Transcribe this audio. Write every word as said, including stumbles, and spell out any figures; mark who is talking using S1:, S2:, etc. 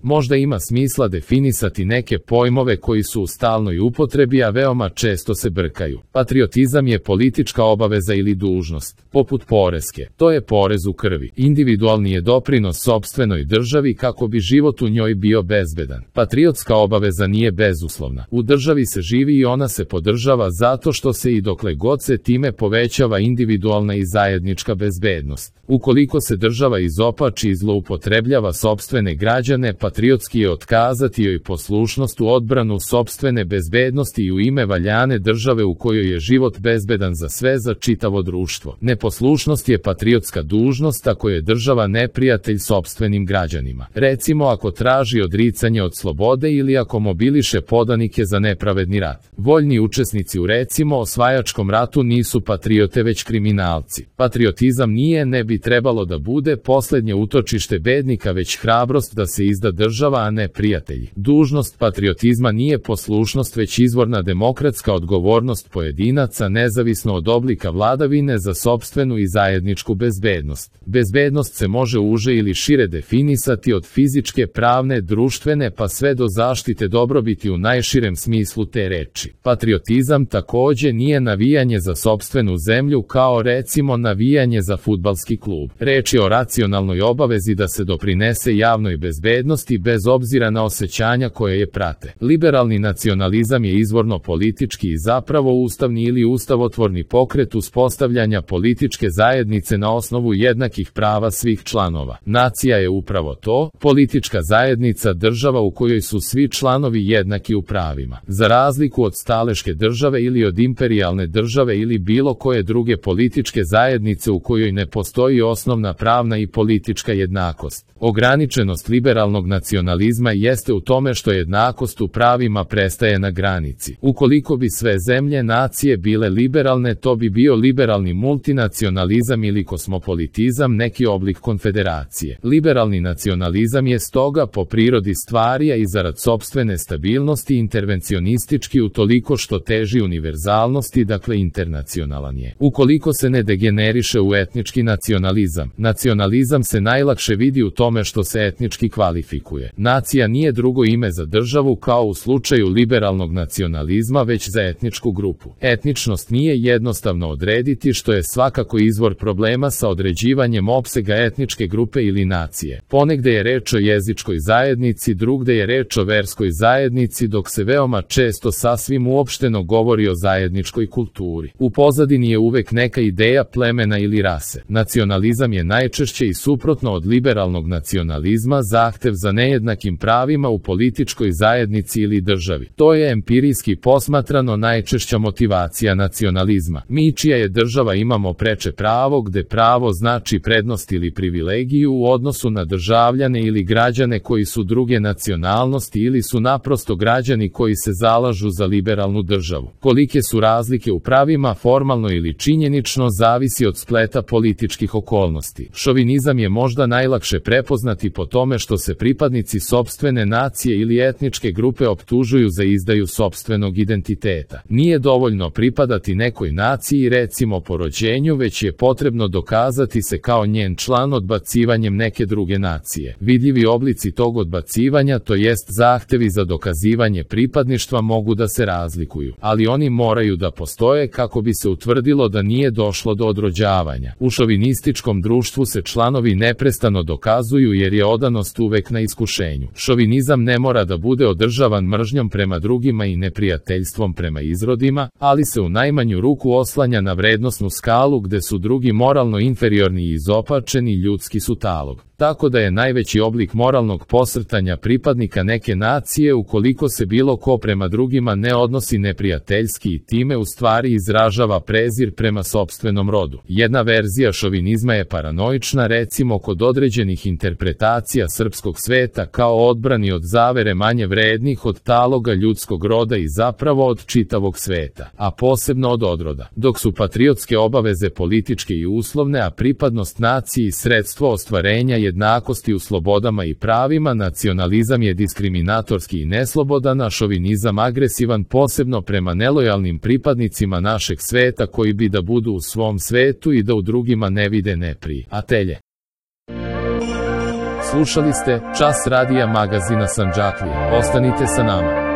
S1: Možda ima smisla definisati neke pojmove koji su u stalnoj upotrebi, a veoma često se brkaju. Patriotizam je politička obaveza ili dužnost, poput poreske. To je porez u krvi. Individualni je doprinos sopstvenoj državi kako bi život u njoj bio bezbedan. Patriotska obaveza nije bezuslovna. U državi se živi i ona se podržava zato što se i dokle god se time povećava individualna i zajednička bezbednost. Ukoliko se država izopači i zloupotrebljava sopstvene građane, patriotski je otkazati joj poslušnost u odbranu sopstvene bezbednosti i u ime valjane države u kojoj je život bezbedan za sve, za čitavo društvo. Neposlušnost je patriotska dužnost ako je država neprijatelj sopstvenim građanima. Recimo ako traži odricanje od slobode ili ako mobiliše podanike za nepravedni rat. Voljni učesnici u recimo osvajačkom ratu nisu patriote već kriminalci. Patriotizam nije, ne bi trebalo da bude poslednje utočište bednika, već hrabrost da se izda država, a ne prijatelji. Dužnost patriotizma nije poslušnost već izvorna demokratska odgovornost pojedinaca nezavisno od oblika vladavine za sopstvenu i zajedničku bezbednost. Bezbednost se može uže ili šire definisati od fizičke, pravne, društvene pa sve do zaštite dobrobiti u najširem smislu te reči. Patriotizam takođe nije navijanje za sopstvenu zemlju kao recimo navijanje za fudbalski klub. Reč je o racionalnoj obavezi da se doprinese javnoj bezbednosti bez obzira na osjećanja koje je prate. Liberalni nacionalizam je izvorno politički i zapravo ustavni ili ustavotvorni pokret uspostavljanja političke zajednice na osnovu jednakih prava svih članova. Nacija je upravo to, politička zajednica, država u kojoj su svi članovi jednaki u pravima. Za razliku od staleške države ili od imperijalne države ili bilo koje druge političke zajednice u kojoj ne postoji osnovna pravna i politička jednakost. Ograničenost liberalnog nacionalizma jeste u tome što jednakost u pravima prestaje na granici. Ukoliko bi sve zemlje nacije bile liberalne, to bi bio liberalni multinacionalizam ili kosmopolitizam, neki oblik konfederacije. Liberalni nacionalizam je stoga po prirodi stvari, a i zarad sopstvene stabilnosti intervencionistički utoliko što teži univerzalnosti, dakle internacionalan je. Ukoliko se ne degeneriše u etnički nacionalizam, nacionalizam se najlakše vidi u tome što se etnički kvalifikuje. Nacija nije drugo ime za državu kao u slučaju liberalnog nacionalizma, već za etničku grupu. Etničnost nije jednostavno odrediti, što je svakako izvor problema sa određivanjem opsega etničke grupe ili nacije. Ponegde je reč o jezičkoj zajednici, drugde je reč o verskoj zajednici, dok se veoma često sasvim uopšteno govori o zajedničkoj kulturi. U pozadini je uvek neka ideja plemena ili rase. Nacionalizam je najčešće i suprotno od liberalnog nacionalizma zahtev za nejednakim pravima u političkoj zajednici ili državi. To je empirijski posmatrano najčešća motivacija nacionalizma. Mi čija je država imamo preče pravo, gde pravo znači prednost ili privilegiju u odnosu na državljane ili građane koji su druge nacionalnosti ili su naprosto građani koji se zalažu za liberalnu državu. Kolike su razlike u pravima formalno ili činjenično zavisi od spleta političkih okolnosti. Šovinizam je možda najlakše prepoznati po tome što se pripadnici sopstvene nacije ili etničke grupe optužuju za izdaju sopstvenog identiteta. Nije dovoljno pripadati nekoj naciji recimo po rođenju, već je potrebno dokazati se kao njen član odbacivanjem neke druge nacije. Vidljivi oblici tog odbacivanja, to jest zahtevi za dokazivanje pripadništva, mogu da se razlikuju, ali oni moraju da postoje kako bi se utvrdilo da nije došlo do odrođavanja. U šovinističkom društvu se članovi neprestano dokazuju jer je odanost uvek na iskušenju. Šovinizam ne mora da bude održavan mržnjom prema drugima i neprijateljstvom prema izrodima, ali se u najmanju ruku oslanja na vrednosnu skalu gde su drugi moralno inferiorni i izopačeni, ljudski su talog. Tako da je najveći oblik moralnog posrtanja pripadnika neke nacije ukoliko se bilo ko prema drugima ne odnosi neprijateljski i time u stvari izražava prezir prema sopstvenom rodu. Jedna verzija šovinizma je paranoična, recimo kod određenih interpretacija srpskog sveta kao odbrani od zavere manje vrednih od taloga ljudskog roda i zapravo od čitavog sveta, a posebno od odroda. Dok su patriotske obaveze političke i uslovne, a pripadnost naciji sredstvo ostvarenja jednakosti u slobodama i pravima, nacionalizam je diskriminatorski i neslobodan, a šovinizam agresivan, posebno prema nelojalnim pripadnicima našeg sveta koji bi da budu u svom svetu i da u drugima ne vide neprijatelje. Slušali ste Čas radija magazina Sandžaklije. Ostanite sa nama.